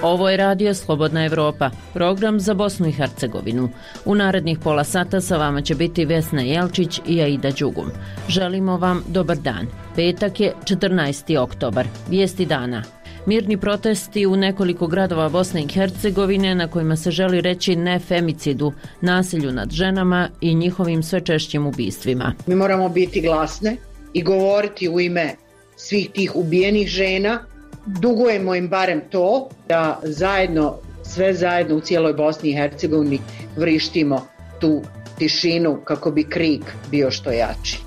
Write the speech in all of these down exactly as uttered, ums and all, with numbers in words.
Ovo je radio Slobodna Evropa, program za Bosnu i Hercegovinu. U narednih pola sata sa vama će biti Vesna Jelčić i Aida Đugum. Želimo vam dobar dan. Petak je četrnaesti oktobar. Vijesti dana. Mirni protesti u nekoliko gradova Bosne i Hercegovine na kojima se želi reći ne femicidu, nasilju nad ženama i njihovim sve češćim ubistvima. Mi moramo biti glasne i govoriti u ime svih tih ubijenih žena. Dugujemo im barem to da zajedno, sve zajedno u cijeloj Bosni i Hercegovini vrištimo tu tišinu kako bi krik bio što jači.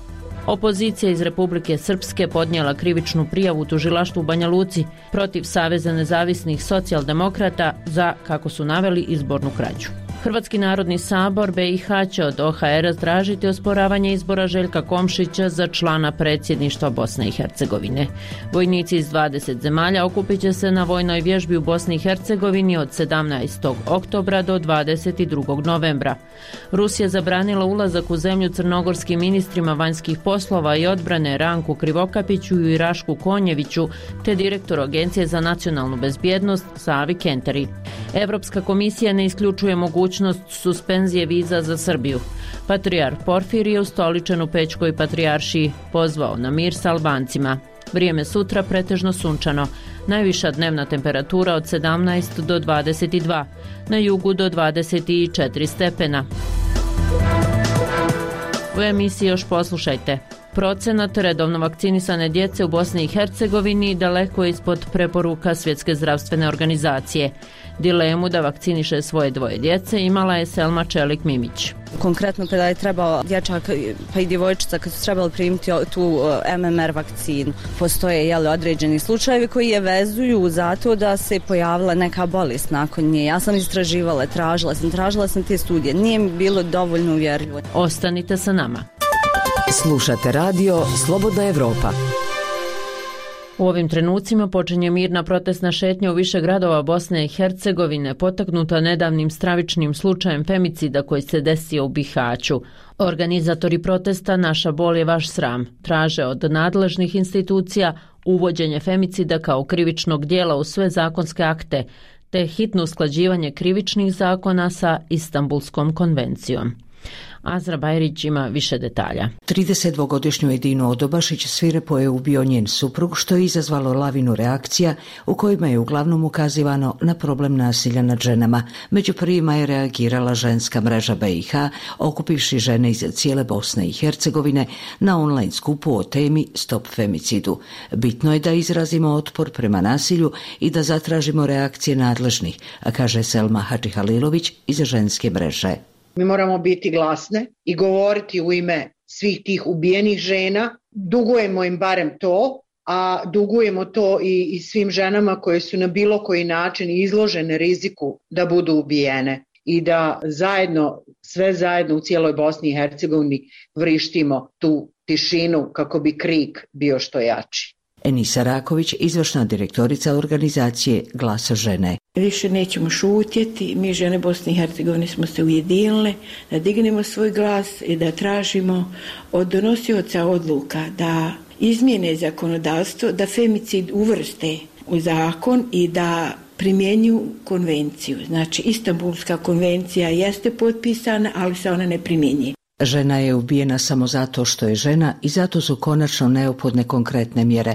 Opozicija iz Republike Srpske podnijela krivičnu prijavu tužilaštvu u Banja Luci protiv Saveza nezavisnih socijaldemokrata za, kako su naveli, izbornu krađu. Hrvatski narodni sabor B i H će od O H R-a tražiti osporavanje izbora Željka Komšića za člana predsjedništva Bosne i Hercegovine. Vojnici iz dvadeset zemalja okupit će se na vojnoj vježbi u Bosni i Hercegovini od sedamnaestog oktobra do dvadeset drugog novembra. Rusija zabranila ulazak u zemlju crnogorskim ministrima vanjskih poslova i odbrane Ranku Krivokapiću i Rašku Konjeviću te direktoru Agencije za nacionalnu bezbjednost Savi Kenteri. Evropska komisija ne isključuje mogućnost suspenzije viza za Srbiju. Patrijarh Porfirije ustoličen u Pećkoj patrijaršiji pozvao na mir s Albancima. Vrijeme sutra pretežno sunčano. Najviša dnevna temperatura od sedamnaest do dvadeset dva, na jugu do dvadeset četiri stepena. U emisiji još poslušajte. Procenat redovno vakcinisane djece u Bosni i Hercegovini daleko je ispod preporuka Svjetske zdravstvene organizacije. Dilemu da vakciniše svoje dvoje djece imala je Selma Čelik-Mimić. Konkretno kada je trebao dječak pa i djevojčica kad su trebali primiti tu M M R vakcinu, postoje jeli, određeni slučajevi koji je vezuju zato da se pojavila neka bolest nakon nje. Ja sam istraživala, tražila sam, tražila sam te studije. Nije mi bilo dovoljno uvjerljivo. Ostanite sa nama. Slušate radio Slobodna Evropa. U ovim trenucima počinje mirna protestna šetnja u više gradova Bosne i Hercegovine, potaknuta nedavnim stravičnim slučajem femicida koji se desio u Bihaću. Organizatori protesta Naša bol je vaš sram traže od nadležnih institucija uvođenje femicida kao krivičnog djela u sve zakonske akte, te hitno usklađivanje krivičnih zakona sa Istanbulskom konvencijom. Azra Bajrić ima više detalja. tridesetdvogodišnju Edinu Odobašić svirepo je ubio njen suprug, što je izazvalo lavinu reakcija u kojima je uglavnom ukazivano na problem nasilja nad ženama. Među prvima je reagirala ženska mreža B i H, okupivši žene iz cijele Bosne i Hercegovine na online skupu o temi Stop femicidu. Bitno je da izrazimo otpor prema nasilju i da zatražimo reakcije nadležnih, kaže Selma Hadžihalilović iz ženske mreže. Mi moramo biti glasne i govoriti u ime svih tih ubijenih žena. Dugujemo im barem to, a dugujemo to i, i svim ženama koje su na bilo koji način izložene riziku da budu ubijene i da zajedno, sve zajedno u cijeloj Bosni i Hercegovini vrištimo tu tišinu kako bi krik bio što jači. Enisa Raković, izvršna direktorica organizacije Glas žene. Više nećemo šutjeti, mi žene Bosne i Hercegovine smo se ujedinile da dignemo svoj glas i da tražimo od donosioca odluka da izmijene zakonodavstvo, da femicid uvrste u zakon i da primjenju konvenciju. Znači, Istanbulska konvencija jeste potpisana, ali se ona ne primjenjuje. Žena je ubijena samo zato što je žena i zato su konačno neophodne konkretne mjere,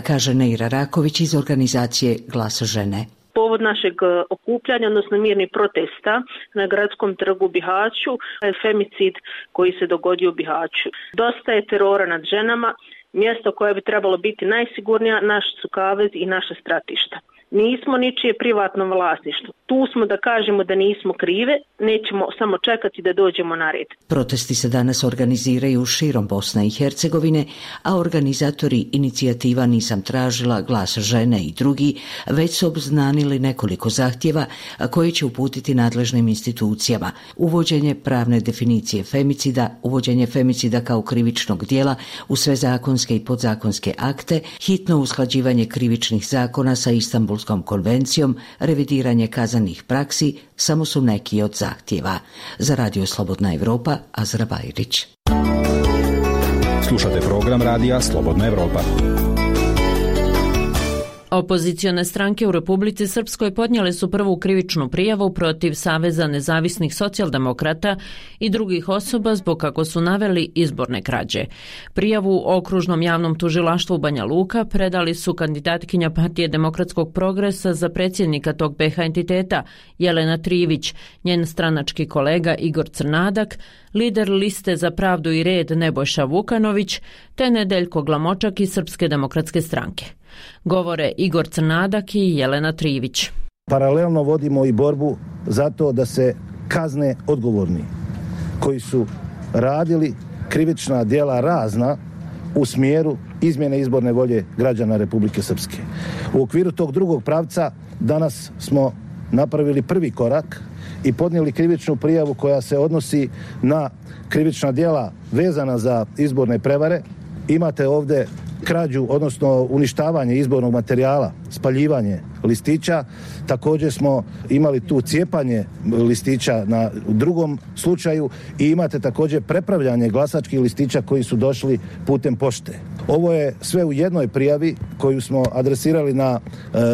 kaže Neira Raković iz organizacije Glas žene. Povod našeg okupljanja, odnosno mirnih protesta na gradskom trgu u Bihaću je femicid koji se dogodio u Bihaću. Dosta je terora nad ženama, mjesto koje bi trebalo biti najsigurnija, naš su kavez i naša stratišta. Nismo ničije privatno vlasništvo. Tu smo da kažemo da nismo krive, nećemo samo čekati da dođemo na red. Protesti se danas organiziraju širom Bosne i Hercegovine, a organizatori inicijativa Nisam tražila, Glas žene i drugi već su obznanili nekoliko zahtjeva koje će uputiti nadležnim institucijama. Uvođenje pravne definicije femicida, uvođenje femicida kao krivičnog djela u sve zakonske i podzakonske akte, hitno usklađivanje krivičnih zakona sa Istanbulskom konvencijom, revidiranje kazanih praksi samo su neki od zahtjeva. Za Radio Slobodna Evropa, Azra Bajrić. Slušate program radija Slobodna Evropa. Opozicione stranke u Republici Srpskoj podnijele su prvu krivičnu prijavu protiv Saveza nezavisnih socijaldemokrata i drugih osoba zbog, kako su naveli, izborne krađe. Prijavu okružnom javnom tužilaštvu Banja Luka predali su kandidatkinja Partije demokratskog progresa za predsjednika tog B iH entiteta Jelena Trivić, njen stranački kolega Igor Crnadak, lider liste za pravdu i red Nebojša Vukanović, te Nedeljko Glamočak iz Srpske demokratske stranke. Govore Igor Crnadak i Jelena Trivić. Paralelno vodimo i borbu za to da se kazne odgovorni koji su radili krivična djela razna u smjeru izmjene izborne volje građana Republike Srpske. U okviru tog drugog pravca danas smo napravili prvi korak i podnijeli krivičnu prijavu koja se odnosi na krivična djela vezana za izborne prevare. Imate ovdje krađu, odnosno uništavanje izbornog materijala, spaljivanje listića. Također smo imali tu cijepanje listića na drugom slučaju i imate također prepravljanje glasačkih listića koji su došli putem pošte. Ovo je sve u jednoj prijavi koju smo adresirali na e,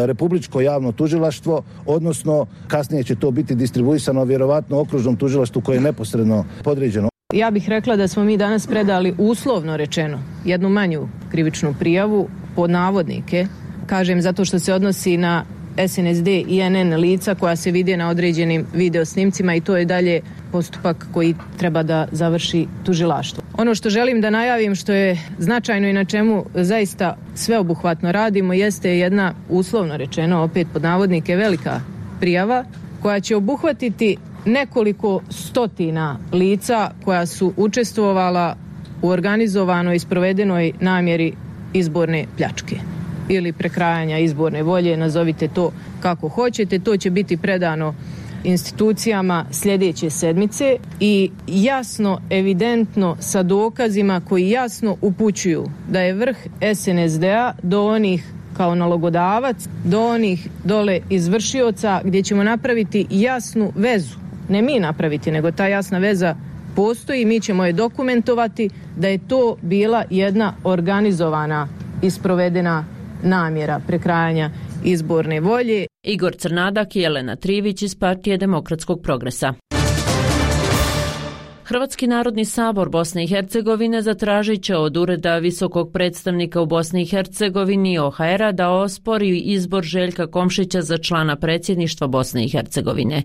Republičko javno tužilaštvo, odnosno kasnije će to biti distribuisano vjerovatno okružnom tužilaštvu koje je neposredno podređeno. Ja bih rekla da smo mi danas predali uslovno rečeno jednu manju krivičnu prijavu pod navodnike, kažem zato što se odnosi na S N S D i N N lica koja se vide na određenim video snimcima i to je dalje postupak koji treba da završi tužilaštvo. Ono što želim da najavim, što je značajno i na čemu zaista sveobuhvatno radimo, jeste jedna uslovno rečeno, opet pod navodnike, velika prijava koja će obuhvatiti nekoliko stotina lica koja su učestvovala u organizovanoj i sprovedenoj namjeri izborne pljačke ili prekrajanja izborne volje, nazovite to kako hoćete. To će biti predano institucijama sljedeće sedmice i jasno, evidentno sa dokazima koji jasno upućuju da je vrh S N S D-a do onih kao nalogodavac, do onih dole izvršioca, gdje ćemo napraviti jasnu vezu. Ne mi napraviti, nego ta jasna veza postoji, mi ćemo je dokumentovati da je to bila jedna organizovana i sprovedena namjera prekrajanja izborne volje. Igor Crnadak i Jelena Trivić iz Partije demokratskog progresa. Hrvatski narodni sabor Bosne i Hercegovine zatražit će od Ureda visokog predstavnika u Bosni i Hercegovini O H R-a da ospori izbor Željka Komšića za člana predsjedništva Bosne i Hercegovine.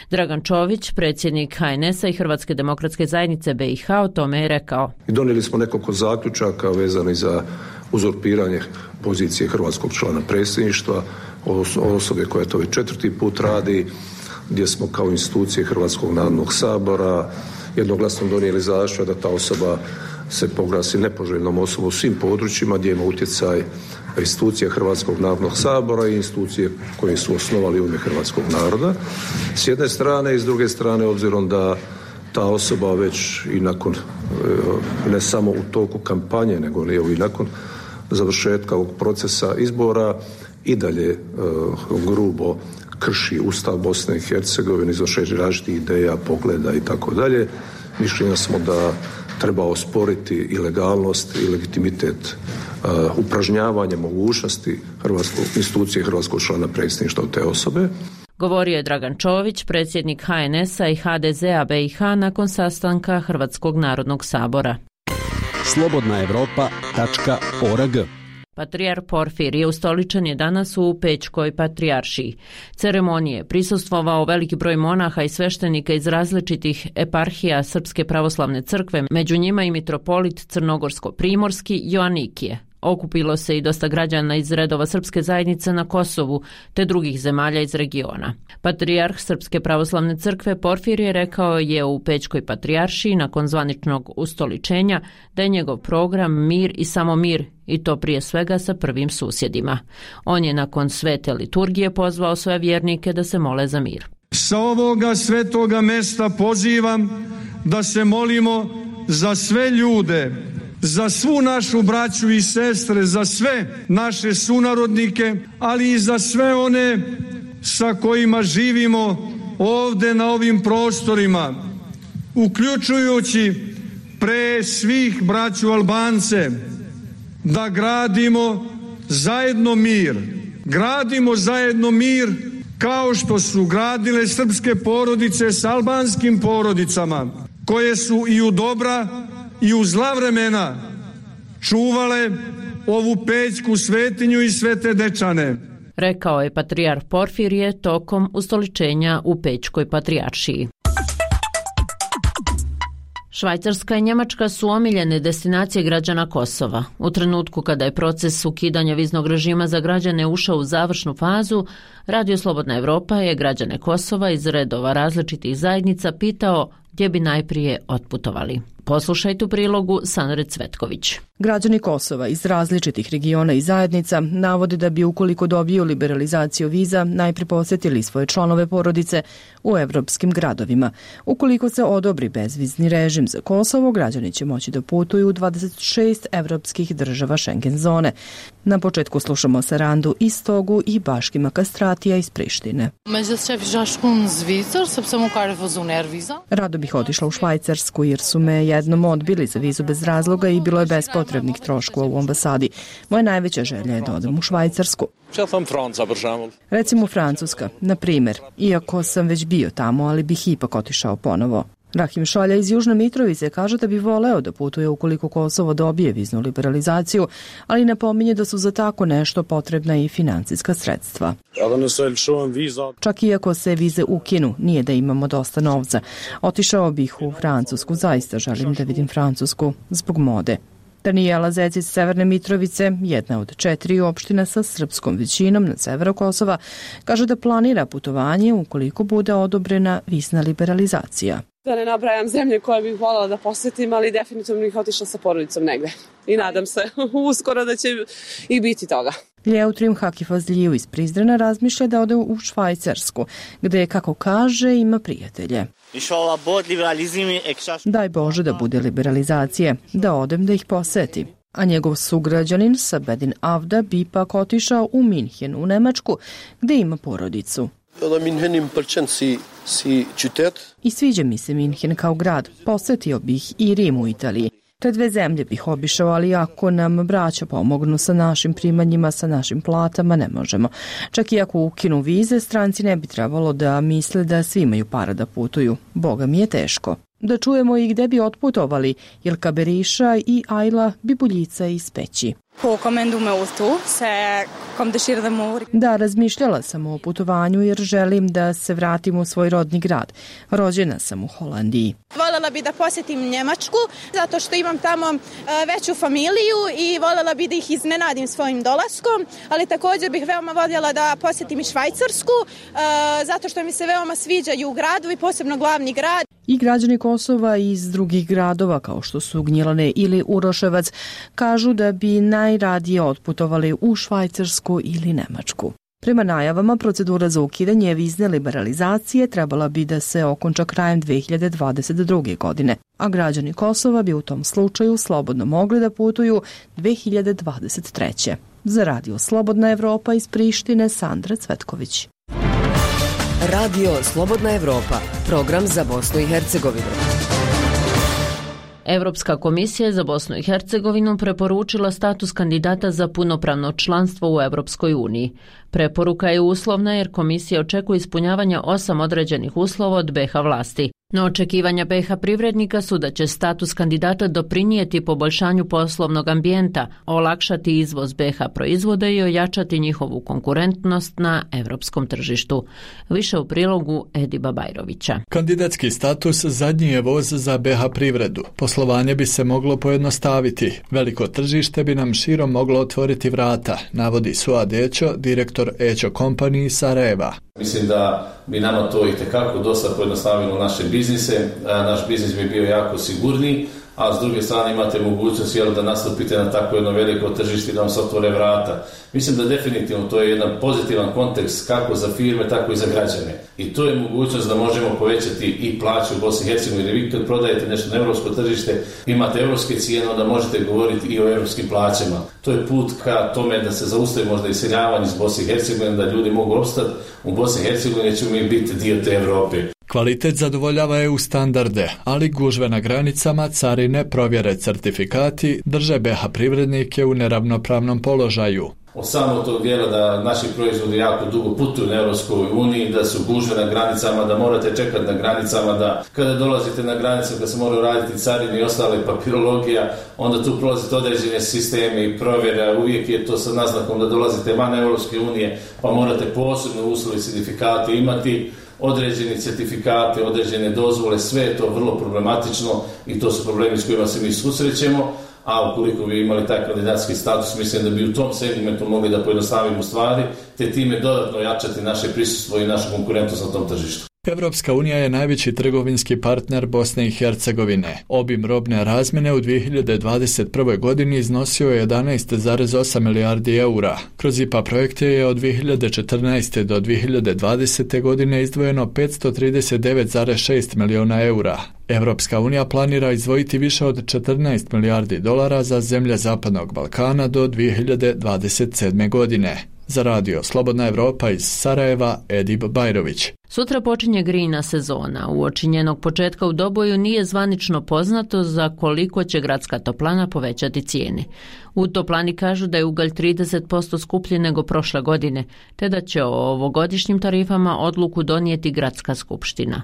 Dragan Čović, predsjednik H N S-a i Hrvatske demokratske zajednice B iH, o tome je rekao. Donijeli smo nekoliko zaključaka vezani za uzurpiranje pozicije hrvatskog člana predsjedništva, osobe koja to već četvrti put radi, gdje smo kao institucije Hrvatskog narodnog sabora jednoglasno donijeli zaključak da ta osoba se proglasi nepoželjnom osobom u svim područjima gdje ima utjecaj institucija Hrvatskog narodnog sabora i institucije koje su osnovali u ime hrvatskog naroda. S jedne strane i s druge strane, obzirom da ta osoba već i nakon, ne samo u toku kampanje, nego i nakon završetka ovog procesa izbora i dalje uh, grubo krši Ustav Bosne i Hercegovine, izvršenje različitih ideja, pogleda i tako dalje. Mišljenja smo da treba osporiti i legalnost i legitimitet uh, upražnjavanja mogućnosti hrvatskog institucije hrvatskog člana predsjedništva od te osobe. Govorio je Dragan Čović, predsjednik H N S-a i H D Z-a B iH nakon sastanka Hrvatskog narodnog sabora. slobodna evropa tačka org. Patrijar Porfirije ustoličen je danas u Pećkoj patrijaršiji. Ceremonije prisustvovao veliki broj monaha i sveštenika iz različitih eparhija Srpske pravoslavne crkve, među njima i mitropolit Crnogorsko-primorski Joanikije. Okupilo se i dosta građana iz redova srpske zajednice na Kosovu te drugih zemalja iz regiona. Patrijarh Srpske pravoslavne crkve Porfirije rekao je u Pećkoj patrijaršiji nakon zvaničnog ustoličenja da je njegov program mir i samo mir, i to prije svega sa prvim susjedima. On je nakon svete liturgije pozvao svoje vjernike da se mole za mir. Sa ovoga svetoga mesta pozivam da se molimo za sve ljude, za svu našu braću i sestre, za sve naše sunarodnike, ali i za sve one sa kojima živimo ovdje na ovim prostorima, uključujući pre svih braću Albance, da gradimo zajedno mir, Gradimo zajedno mir kao što su gradile srpske porodice s albanskim porodicama, koje su i u dobra i u zla vremena čuvale ovu pećku svetinju i Svete Dečane. Rekao je patrijarh Porfirije tokom ustoličenja u Pećkoj patrijaršiji. Švajcarska i Njemačka su omiljene destinacije građana Kosova. U trenutku kada je proces ukidanja viznog režima za građane ušao u završnu fazu, Radio Slobodna Evropa je građane Kosova iz redova različitih zajednica pitao gdje bi najprije otputovali. Poslušajte u prilogu Sandre Cvetković. Građani Kosova iz različitih regiona i zajednica navode da bi ukoliko dobiju liberalizaciju viza najprije posjetili svoje članove porodice u evropskim gradovima. Ukoliko se odobri bezvizni režim za Kosovo, građani će moći da putuju u dvadeset šest evropskih država Schengen zone. Na početku slušamo Sarandu Istogu i Baškima Kastratija iz Prištine. Rado bih otišla u Švajcarsku jer su me jednom odbili za vizu bez razloga i bilo je bez potrebnih troškova u ambasadi. Moja najveća želja je da odem u Švajcarsku. Recimo Francuska, na primjer, iako sam već bio tamo, ali bih ipak otišao ponovo. Rahim Šalja iz Južne Mitrovice kaže da bi voleo da putuje ukoliko Kosovo dobije viznu liberalizaciju, ali napominje da su za tako nešto potrebna i financijska sredstva. Čak i ako se vize ukinu, nije da imamo dosta novca. Otišao bih u Francusku, zaista želim da vidim Francusku, zbog mode. Danijela Zec iz Severne Mitrovice, jedna od četiri opština sa srpskom većinom na severu Kosova, kaže da planira putovanje ukoliko bude odobrena vizna liberalizacija. Da ne nabrajam zemlje koje bih voljela da posjetim, ali definitivno bih otišla sa porodicom negde. I nadam se uskoro da će i biti toga. Ljeutrim Hakifazliju iz Prizrena razmišlja da ode u Švajcarsku, gde, kako kaže, ima prijatelje. Daj Bože da bude liberalizacije, da odem da ih poseti. A njegov sugrađanin Sabedin Avda bi pak otišao u Minhen u Nemačku, gde ima porodicu. I sviđa mi se Minhen kao grad, posetio bih i Rim u Italiji. Te dve zemlje bih obišao, ali ako nam braća pomognu sa našim primanjima, sa našim platama, ne možemo. Čak i ako ukinu vize, stranci ne bi trebalo da misle da svi imaju para da putuju. Boga mi je teško. Da čujemo i gde bi otputovali Ilka Beriša i Ajla Bibuljica iz Peći. Da, razmišljala sam o putovanju jer želim da se vratim u svoj rodni grad. Rođena sam u Holandiji. Voljela bi da posjetim Njemačku zato što imam tamo veću familiju i voljela bi da ih iznenadim svojim dolaskom, ali također bih veoma voljela da posjetim i Švajcarsku zato što mi se veoma sviđaju gradovi, posebno glavni grad. I građani Kosova iz drugih gradova kao što su Gnjilane ili Uroševac kažu da bi najradije otputovali u Švajcarsku ili Nemačku. Prema najavama, procedura za ukidanje vizne liberalizacije trebala bi da se okonča krajem dve hiljade dvadeset druge. godine, a građani Kosova bi u tom slučaju slobodno mogli da putuju dve hiljade dvadeset treće. Za Radio Slobodna Evropa iz Prištine, Sandra Cvetković. Radio Slobodna Evropa, program za Bosnu i Hercegovinu. Evropska komisija za Bosnu i Hercegovinu preporučila status kandidata za punopravno članstvo u Evropskoj uniji. Preporuka je uslovna jer komisija očekuje ispunjavanje osam određenih uslova od B iH vlasti. No očekivanja B iH privrednika su da će status kandidata doprinijeti poboljšanju poslovnog ambijenta, olakšati izvoz B iH proizvoda i ojačati njihovu konkurentnost na evropskom tržištu. Više u prilogu Ediba Bajrovića. Kandidatski status zadnji je voz za B iH privredu. Poslovanje bi se moglo pojednostaviti. Veliko tržište bi nam širom moglo otvoriti vrata, navodi Suad Ećo, direktor Ećo Company iz Sarajeva. Mislim da bi nama to itekako dosta pojednostavilo naše biznise, naš biznis bi bio jako sigurniji, a s druge strane imate mogućnost jel, da nastupite na tako jedno veliko tržište i da vam se otvore vrata. Mislim da definitivno to je jedan pozitivan kontekst kako za firme, tako i za građane. I to je mogućnost da možemo povećati i plaću u Bosni i Hercegovini. Vi kad prodajete nešto na evropsko tržište, imate evropske cijene, onda možete govoriti i o evropskim plaćama. To je put ka tome da se zaustavi možda iseljavanje iz Bosne i Hercegovine, da ljudi mogu opstati u Bosni i Hercegovini, ćemo mi biti dio te Evrope. Kvalitet zadovoljava E U standarde, ali gužve na granicama, carine, provjere, certifikati drže B iH privrednike u neravnopravnom položaju. od samog tog dijela da naši proizvodi jako dugo putuju na Europskoj uniji, da su gužve na granicama, da morate čekati na granicama, da kada dolazite na granicu, kada se moraju raditi carine i ostale papirologija, onda tu prolazite određene sisteme i provjera, uvijek je to sa naznakom da dolazite van Europske unije, pa morate posebno uslovi certifikate imati, određeni certifikate, određene dozvole, sve je to vrlo problematično i to su problemi s kojima se mi susrećemo, a ukoliko bi imali taj kandidatski status, mislim da bi u tom segmentu mogli da pojednostavimo stvari, te time dodatno jačati naše prisustvo i našu konkurentnost na tom tržištu. Evropska unija je najveći trgovinski partner Bosne i Hercegovine. Obim robne razmjene u dvije hiljade dvadeset prve. godini iznosio je jedanaest zarez osam milijardi eura. Kroz I P A projekte je od dvije hiljade četrnaeste. do dvije hiljade dvadesete. godine izdvojeno petsto trideset devet zarez šest miliona eura. Evropska unija planira izdvojiti više od četrnaest milijardi dolara za zemlje Zapadnog Balkana do dvije hiljade dvadeset sedme. godine. Za radio Slobodna Evropa iz Sarajeva, Edib Bajrović. Sutra počinje grijna sezona. Uoči njenog početka u Doboju nije zvanično poznato za koliko će gradska toplana povećati cijene. U toplani kažu da je ugalj trideset posto skuplji nego prošle godine, te da će o ovogodišnjim tarifama odluku donijeti gradska skupština.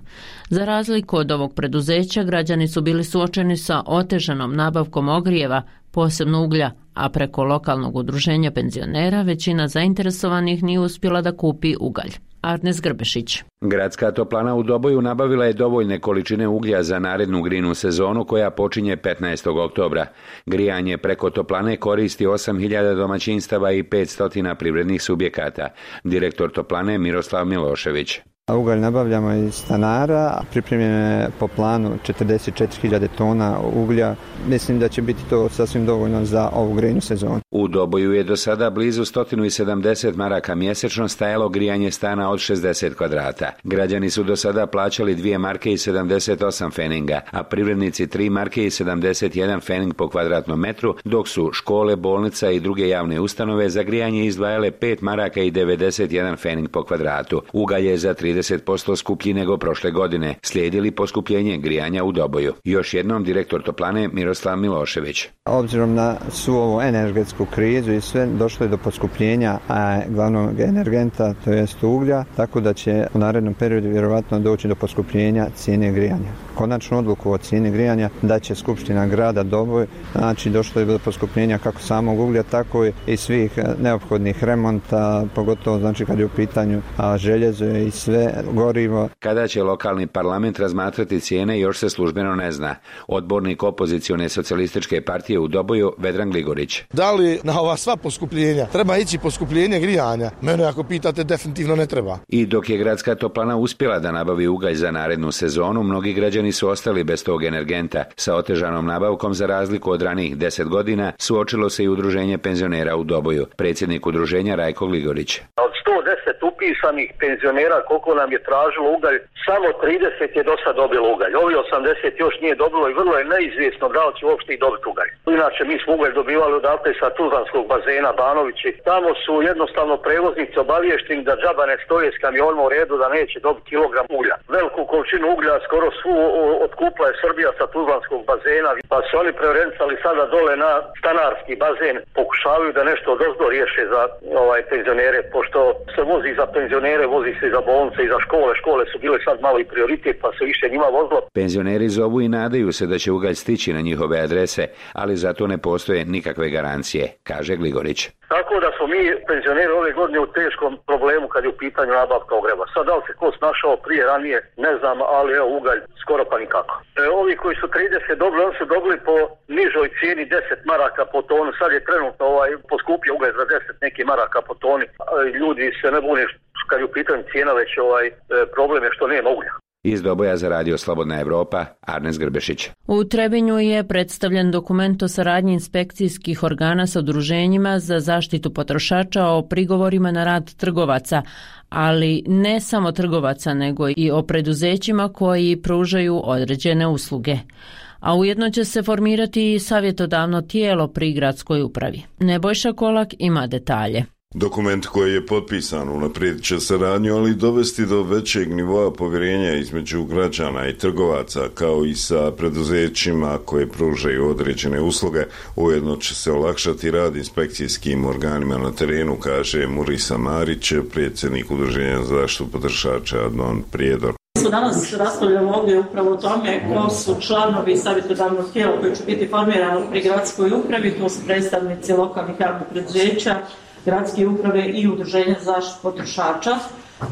Za razliku od ovog preduzeća, građani su bili suočeni sa otežanom nabavkom ogrijeva, posebno uglja, a preko lokalnog udruženja penzionera većina zainteresovanih nije uspjela da kupi ugalj. Arnes Grbešić. Gradska toplana u Doboju nabavila je dovoljne količine uglja za narednu grinu sezonu koja počinje petnaestog oktobra. Grijanje preko toplane koristi osam hiljada domaćinstava i petsto privrednih subjekata. Direktor toplane Miroslav Milošević. Ugalj nabavljamo iz stanara, pripremljeno je po planu četrdeset četiri hiljade tona uglja. Mislim da će biti to sasvim dovoljno za ovu grejnu sezonu. U Doboju je do sada blizu sto sedamdeset maraka mjesečno stajalo grijanje stana od šezdeset kvadrata. Građani su do sada plaćali dvije marke i sedamdeset osam feninga, a privrednici tri marke i sedamdeset jedan fening po kvadratnom metru, dok su škole, bolnica i druge javne ustanove za grijanje izdvajale pet maraka i devedeset jedan fening po kvadratu. Ugalj je za trideset posto skuplji nego prošle godine. Slijedili poskupljenje grijanja u Doboju. Još jednom direktor toplane Miroslav Milošević. Obzirom na svu ovu energetsku krizu i sve, došlo je do poskupljenja a glavnog energenta, to jest uglja, tako da će u narednom periodu vjerovatno doći do poskupljenja cijene grijanja. Konačnu odluku o cijeni grijanja da će Skupština grada Doboj, znači došlo je do poskupljenja kako samog uglja, tako i svih neophodnih remonta, pogotovo znači kad je u pitanju a, željezo i sve gorivo. Kada će lokalni parlament razmatrati cijene još se službeno ne zna. Odbornik opozicione socijalističke partije u Doboju Vedran Gligorić. Da li na ova sva poskupljenja treba ići poskupljenje grijanja? Mene ako pitate definitivno ne treba. I dok je gradska toplana uspjela da nabavi ugalj za narednu sezonu, mnogi građani su ostali bez tog energenta. Sa otežanom nabavkom za razliku od ranijih deset godina suočilo se i udruženje penzionera u Doboju. Predsjednik udruženja Rajko Gligorić. Od sto deset upisanih penzionera koliko nam je tražilo ugalj, samo trideset je do sad dobilo ugalj. Ovi osamdeset još nije dobilo i vrlo je neizvjesno da li će uopšte i dobiti ugalj. Inače mi smo ugalj dobivali odatle sa Tuzlanskog bazena Banovići. Tamo su jednostavno prevoznici obavješteni da džaba ne stoje s kamionima u redu da neće dobiti kilogram uglja. Veliku količinu uglja skoro svu otkupla je Srbija sa Tuzlanskog bazena, pa su oni preorencali sada dole na stanarski bazen. Pokušavaju da nešto odozdo riješe za ovaj penzionere, pošto se vozi za penzionere, vozi se za bolnice i za škole. Škole su bile sad malo i prioritet, pa se više njima vozilo. Penzioneri zovu i nadaju se da će ugalj stići na njihove adrese, ali za to ne postoje nikakve garancije, kaže Gligorić. Tako da smo mi penzioneri ove godine u teškom problemu kad je u pitanju nabavka ogreva. Sad da li se ko snašao prije, ranije, ne znam, ali evo ugalj skoro pa nikako. E, ovi koji su trideset dobili, oni su dobili po nižoj cijeni deset maraka po tonu. Sad je trenutno ovaj, poskupio ugalj za deset neki maraka po toni. Ljudi se ne bune kad je u pitanju cijena, već ovaj, problem je što nema uglja. Iz Doboja za radio Slobodna Evropa, Arnes Grbešić. U Trebinju je predstavljen dokument o saradnji inspekcijskih organa sa udruženjima za zaštitu potrošača o prigovorima na rad trgovaca, ali ne samo trgovaca, nego i o preduzećima koji pružaju određene usluge. A ujedno će se formirati i savjetodavno tijelo pri gradskoj upravi. Nebojša Kolak ima detalje. Dokument koji je potpisan unaprijedit će saradnju, ali dovesti do većeg nivoa povjerenja između građana i trgovaca, kao i sa preduzećima koje pružaju određene usluge. Ujedno će se olakšati rad inspekcijskim organima na terenu, kaže Murisa Marić, predsjednik Udruženja za zaštitu potrošača Adnan Prijedor. Mi smo danas raspravljali ovdje upravo o tome ko su članovi savjetodavnog tijela koji će biti formirani pri gradskoj upravi, to su predstavnici lokalnih javnih preduzeća, gradske uprave i udruženja za zaštitu potrošača.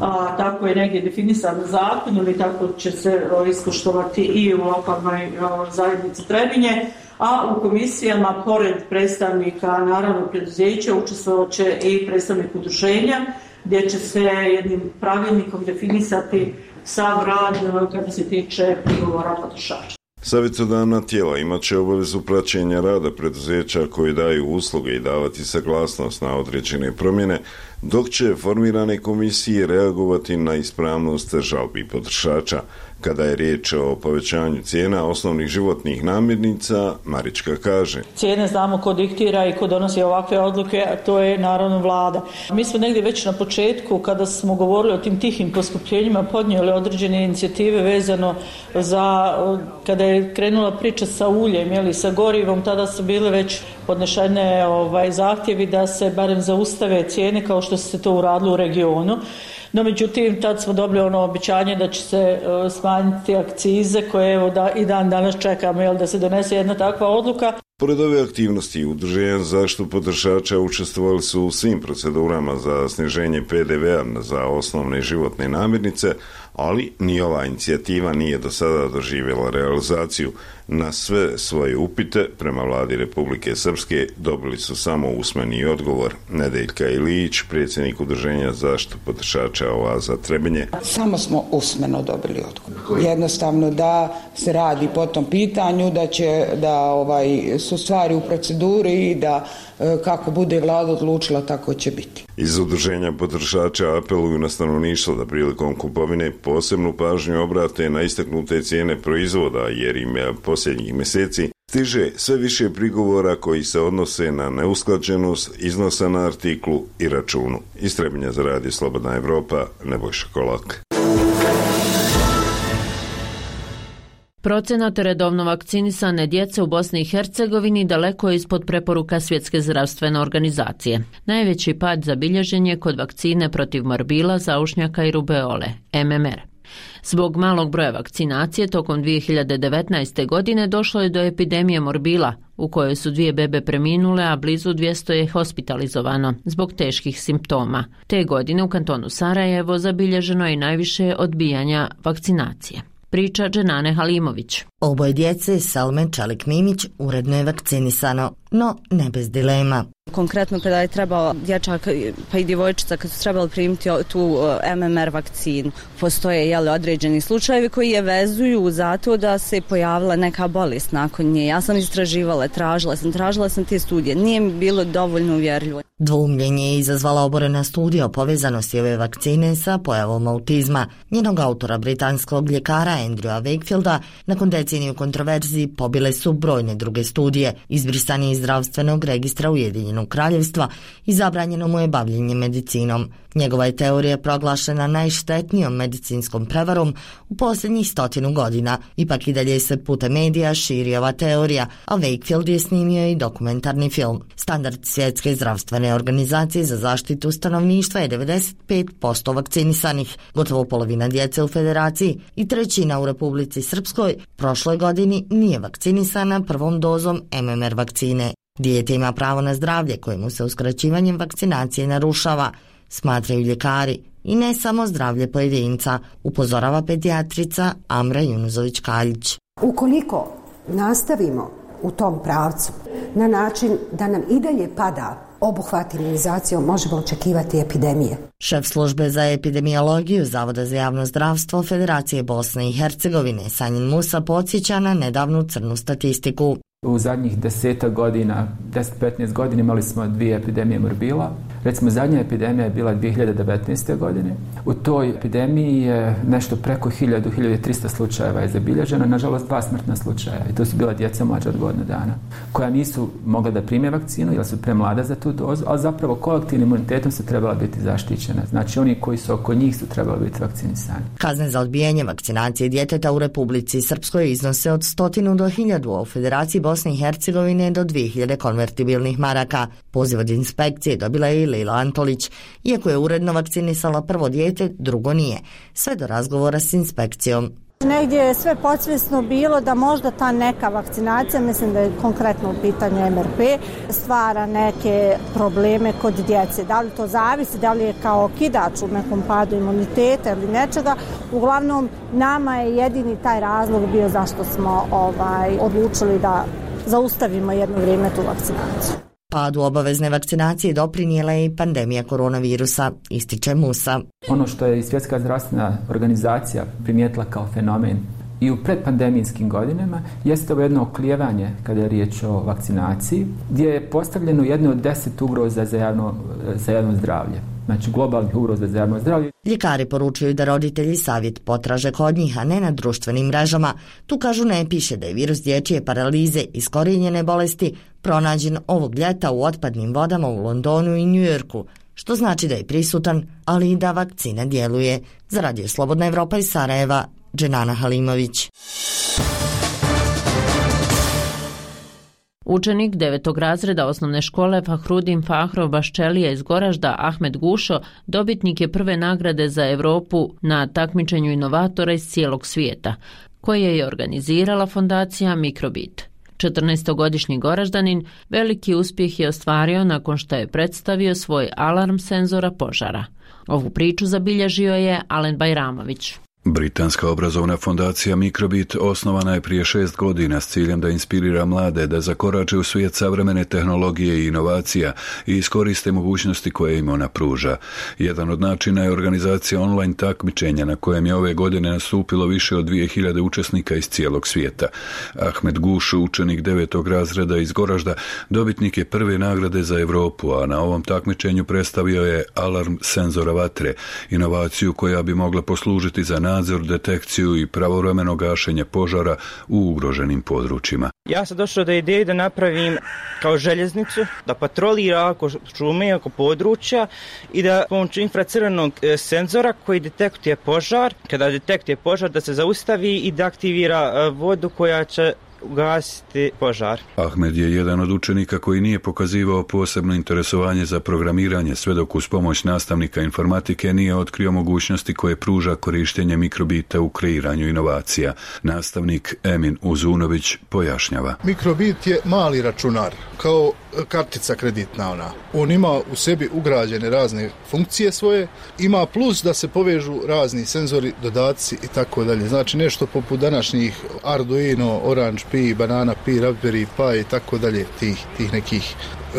A, tako je negdje definisan zakon ili tako će se o, ispoštovati i u lokalnoj o, zajednici Trebinje. A u komisijama, pored predstavnika naravno preduzeća, učestvovat će i predstavnik udruženja, gdje će se jednim pravilnikom definisati sav rad kada se tiče prigovora potrošača. Savjetodavna tijela imat će obavezu praćenja rada preduzeća koji daju usluge i davati saglasnost na određene promjene, dok će formirane komisije reagovati na ispravnost žalbi potrošača. Kada je riječ o povećanju cijena osnovnih životnih namirnica, Marička kaže: Cijene znamo ko diktira i ko donosi ovakve odluke, a to je naravno vlada. Mi smo negdje već na početku, kada smo govorili o tim tihim poskupljenjima, podnijeli određene inicijative vezano za, kada je krenula priča sa uljem ili sa gorivom, tada su bile već podnešene ovaj, zahtjevi da se barem zaustave cijene kao što se to uradilo u regionu. No, međutim, tad smo dobili ono obećanje da će se uh, smanjiti akcize koje evo da, i dan danas čekamo jel, da se donese jedna takva odluka. Pored ove aktivnosti, Udruženja za zaštitu potrošača učestvovali su u svim procedurama za sniženje P D V-a za osnovne životne namirnice, ali ni ova inicijativa nije do sada doživjela realizaciju. Na sve svoje upite prema vladi Republike Srpske dobili su samo usmeni odgovor. Nedeljka Ilić, predsjednik Udruženja za zaštitu potrošača Oaza Trebinje. Samo smo usmeno dobili odgovor. Jednostavno da se radi po tom pitanju, da će da ovaj su stvari u proceduri i da kako bude vlada odlučila, tako će biti. Iz Udruženja potrošača apeluju na stanovništvo da prilikom kupovine posebnu pažnju obrate na istaknute cijene proizvoda, jer im je posljednjih mjeseci stiže sve više prigovora koji se odnose na neusklađenost iznosa na artiklu i računu. Iz Trebinja za Radio Slobodna Evropa, Nebojša Kolak. Procenat redovno vakcinisane djece u Bosni i Hercegovini daleko je ispod preporuka Svjetske zdravstvene organizacije. Najveći pad zabilježen je kod vakcine protiv morbila, zaušnjaka i rubeole, M M R. Zbog malog broja vakcinacije tokom dvije hiljade devetnaeste. godine došlo je do epidemije morbila, u kojoj su dvije bebe preminule, a blizu dvjesto je hospitalizovano zbog teških simptoma. Te godine u kantonu Sarajevo zabilježeno je najviše odbijanja vakcinacije. Priča Dženane Halimović. Oboje djece, Salme Čalik-Mimić, uredno je vakcinisano, no ne bez dilema. Konkretno kada je trebao dječak pa i djevojčica kad su trebali primiti tu M M R vakcinu, postoje jeli, određeni slučajevi koji je vezuju za to da se pojavila neka bolest nakon nje. Ja sam istraživala, tražila sam, tražila sam te studije, nije mi bilo dovoljno uvjerljivo. Dvoumljenje je izazvala oborena studija o povezanosti ove vakcine sa pojavom autizma. Njenog autora, britanskog ljekara Andrewa Wakefielda, nakon deceniju kontroverziji pobile su brojne druge studije. Izbrisan je iz zdravstvenog registra Ujedinjenog kraljevstva i zabranjeno mu je bavljenje medicinom. Njegova je teorija proglašena najštetnijom medicinskom prevarom u posljednjih stotinu godina. Ipak i dalje se putem medija širi ova teorija, a Wakefield je snimio i dokumentarni film. Standard Svjetske zdravstvene organizacije za zaštitu stanovništva je devedeset pet posto vakcinisanih, gotovo polovina djece u Federaciji i trećina u Republici Srpskoj prošloj godini nije vakcinisana prvom dozom M M R vakcine. Dijete ima pravo na zdravlje kojemu se uskraćivanjem vakcinacije narušava, smatraju ljekari, i ne samo zdravlje pojedinca, upozorava pedijatrica Amra Junuzović-Kaljić. Ukoliko nastavimo u tom pravcu na način da nam i dalje pada obuhvat imunizacijom, možemo očekivati epidemije. Šef službe za epidemiologiju Zavoda za javno zdravstvo Federacije Bosne i Hercegovine Sanjin Musa podsjeća na nedavnu crnu statistiku. U zadnjih desetak godina, deset do petnaest godina imali smo dvije epidemije morbila. Recimo, zadnja epidemija je bila dvije hiljade devetnaeste. godine. U toj epidemiji je nešto preko hiljadu, hiljadu trista slučajeva je zabilježeno, nažalost dva smrtna slučaja. I to su bila djeca mlađa od godinu dana, koja nisu mogla da prime vakcinu jer su premlada za tu dozu, ali zapravo kolektivnim imunitetom su trebala biti zaštićena. Znači, oni koji su oko njih su trebali biti vakcinisani. Kazne za odbijanje vakcinacije djeteta u Republici Srpskoj iznose od stotinu do hiljadu, a u Federaciji Bosne i Hercegovine do dvije hiljade konvertibilnih maraka. Poziv od inspekcije dobila je i Lila Antolić. Iako je uredno vakcinisala prvo dijete, drugo nije. Sve do razgovora s inspekcijom. Negdje je sve podsvjesno bilo da možda ta neka vakcinacija, mislim da je konkretno u pitanju M R P, stvara neke probleme kod djece. Da li to zavisi, da li je kao okidač u nekom padu imuniteta ili nečega. Uglavnom, nama je jedini taj razlog bio zašto smo ovaj, odlučili da zaustavimo jedno vrijeme tu vakcinaciju. Padu obavezne vakcinacije doprinijela je i pandemija koronavirusa, ističe Musa. Ono što je i Svjetska zdravstvena organizacija primijetila kao fenomen i u predpandemijskim godinama jeste ovo jedno oklijevanje kada je riječ o vakcinaciji, gdje je postavljeno jedno od deset ugroza za javno, za javno zdravlje. Znači globalnih ugroza za javno zdravlje. Ljekari poručuju da roditelji savjet potraže kod njih, a ne na društvenim mrežama. Tu kažu ne piše da je virus dječje paralize iskorijenjene bolesti pronađen ovog ljeta u otpadnim vodama u Londonu i Njujorku, što znači da je prisutan, ali i da vakcina djeluje. Za Radio Slobodna Evropa iz Sarajeva, Dženana Halimović. Učenik devetog razreda osnovne škole Fahrudin Fahrov Baščelija iz Goražda Ahmed Gušo dobitnik je prve nagrade za Evropu na takmičenju inovatora iz cijelog svijeta, koje je organizirala fondacija Mikrobit. četrnaestogodišnji Goraždanin veliki uspjeh je ostvario nakon što je predstavio svoj alarm senzora požara. Ovu priču zabilježio je Alen Bajramović. Britanska obrazovna fondacija Mikrobit osnovana je prije šest godina s ciljem da inspirira mlade da zakorače u svijet savremene tehnologije i inovacija i iskoriste mogućnosti koje im ona pruža. Jedan od načina je organizacija online takmičenja na kojem je ove godine nastupilo više od dvije hiljade učesnika iz cijelog svijeta. Ahmed Guš, učenik devetog razreda iz Goražda, dobitnik je prve nagrade za Europu, a na ovom takmičenju predstavio je alarm senzora vatre, inovaciju koja bi mogla poslužiti za nadzor, detekciju i pravovremeno gašenje požara u ugroženim područjima. Ja sam došao do ideje da napravim kao željeznicu, da patrolira oko šume, oko područja i da pomoću infracrvenog senzora koji detektuje požar, kada detektuje požar da se zaustavi i da aktivira vodu koja će ugasiti požar. Ahmed je jedan od učenika koji nije pokazivao posebno interesovanje za programiranje, sve dok uz pomoć nastavnika informatike nije otkrio mogućnosti koje pruža korištenje mikrobita u kreiranju inovacija. Nastavnik Emin Uzunović pojašnjava. Mikrobit je mali računar, kao kartica kreditna ona. On ima u sebi ugrađene razne funkcije svoje, ima plus da se povežu razni senzori, dodaci i tako dalje. Znači nešto poput današnjih Arduino, Orange Pi, Banana Pi, Raspberry Pi i tako dalje, tih, tih nekih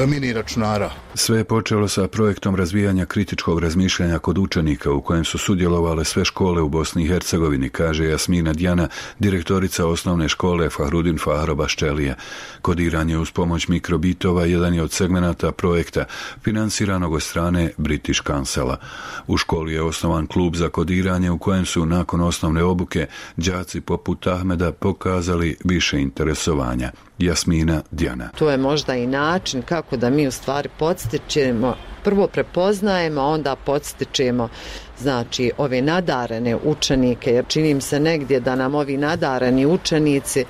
mini računara. Sve je počelo sa projektom razvijanja kritičkog razmišljanja kod učenika u kojem su sudjelovale sve škole u Bosni i Hercegovini, kaže Jasmina Djana, direktorica osnovne škole Fahrudin Fahrov Baščelija. Kodiranje uz pomoć mikrobitova jedan je od segmenata projekta financiranog od strane British Councila. U školi je osnovan klub za kodiranje u kojem su nakon osnovne obuke đaci poput Ahmeda pokazali više interesovanja. Jasmina Djana. To je možda i način kako da mi u stvari podstičemo, prvo prepoznajemo, a onda podstičemo znači ove nadarene učenike, jer činim se negdje da nam ovi nadareni učenici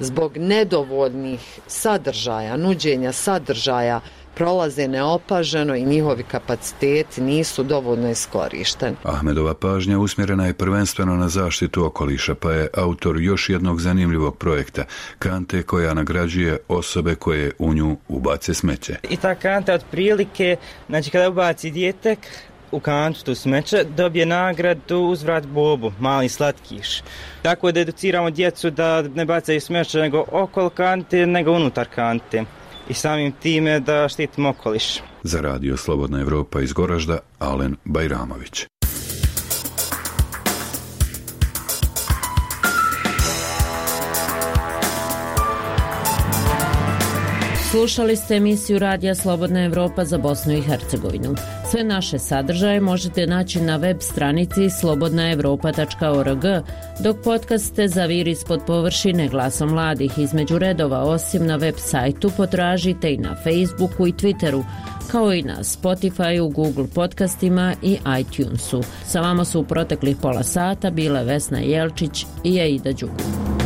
zbog nedovoljnih sadržaja, nuđenja sadržaja prolaze neopaženo i njihovi kapaciteti nisu dovoljno iskorišteni. Ahmedova pažnja usmjerena je prvenstveno na zaštitu okoliša, pa je autor još jednog zanimljivog projekta, kante koja nagrađuje osobe koje u nju ubace smeće. I ta kanta otprilike, znači kada ubaci dijete u kantu tu smeće, dobije nagradu uzvrat bobu, mali slatkiš. Tako da educiramo djecu da ne bacaju smeće nego okolo kante, nego unutar kante. I samim time da štitimo okoliš. Za Radio Slobodna Evropa iz Goražda, Alen Bajramović. Slušali ste emisiju Radija Slobodna Evropa za Bosnu i Hercegovinu. Sve naše sadržaje možete naći na web stranici slobodna evropa tačka org, dok podcaste Zaviri ispod površine glasom mladih između redova osim na web sajtu potražite i na Facebooku i Twitteru, kao i na Spotifyu, Google podcastima i iTunesu. Sa vama su u proteklih pola sata bile Vesna Jelčić i Aida Đugu.